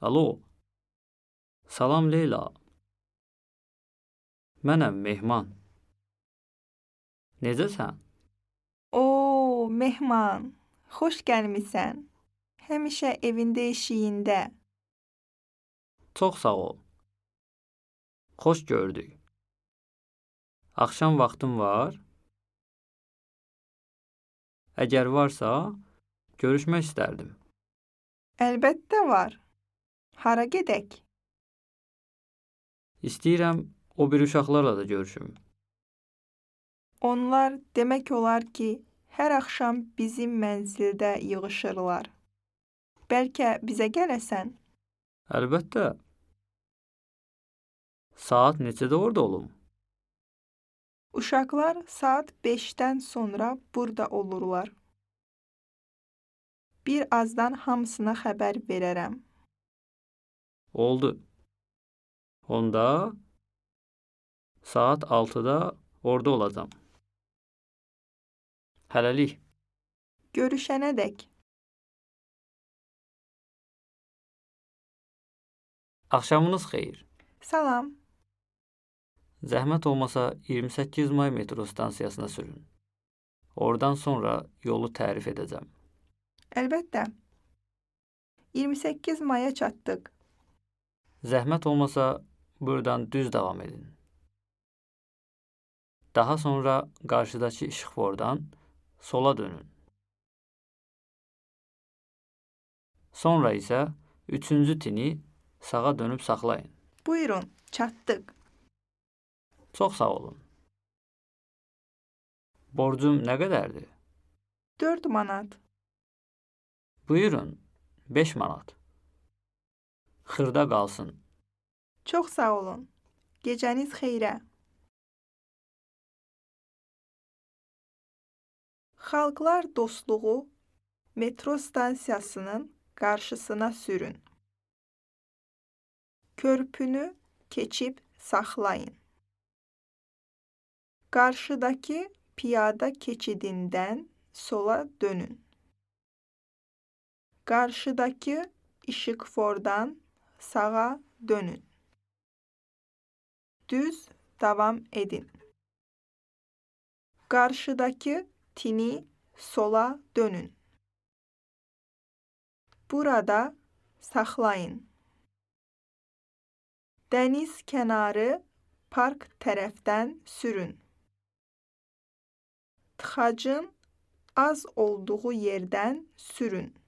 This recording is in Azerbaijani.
Alo. Salam Leyla. Mənəm Mehman. Necəsən? Oo, Mehman, xoş gəlmisən. Həmişə evində eşiyində. Çox sağ ol. Xoş gördük. Axşam vaxtın var? Əgər varsa, görüşmək istərdim. Əlbəttə var. Hara gedək? İstəyirəm o bir uşaqlarla da görüşüm. Onlar demək olar ki, hər axşam bizim mənzildə yığışırlar. Bəlkə bizə gələsən? Əlbəttə. Saat neçədə orada olum? Uşaqlar saat 5-dən sonra burada olurlar. Bir azdan hamısına xəbər verərəm. Oldu. Onda saat 6-da orada olacam. Hələlik. Görüşənədək. Axşamınız xeyir. Salam. Zəhmət olmasa 28 may metro stansiyasına sürün. Oradan sonra yolu tərif edəcəm. Əlbəttə. 28 maya çatdıq. Zəhmət olmasa buradan düz davam edin. Daha sonra qarşıdakı işıqfordan sola dönün. Sonra isə 3-cü tini sağa dönüb saxlayın. Buyurun, çatdıq. Çox sağ olun. Borcum nə qədərdir? 4 manat. Buyurun, 5 manat. Xırda qalsın. Çox sağ olun. Gecəniz xeyrə. Xalqlar Dostluğu metro stansiyasının qarşısına sürün. Körpünü keçib saxlayın. Qarşıdakı piyada keçidindən sola dönün. Qarşıdakı işıqfordan sağa dönün. Düz davam edin. Qarşıdakı tini sola dönün. Burada saxlayın. Dəniz kənarı park tərəfdən sürün. Tıxacın az olduğu yerdən sürün.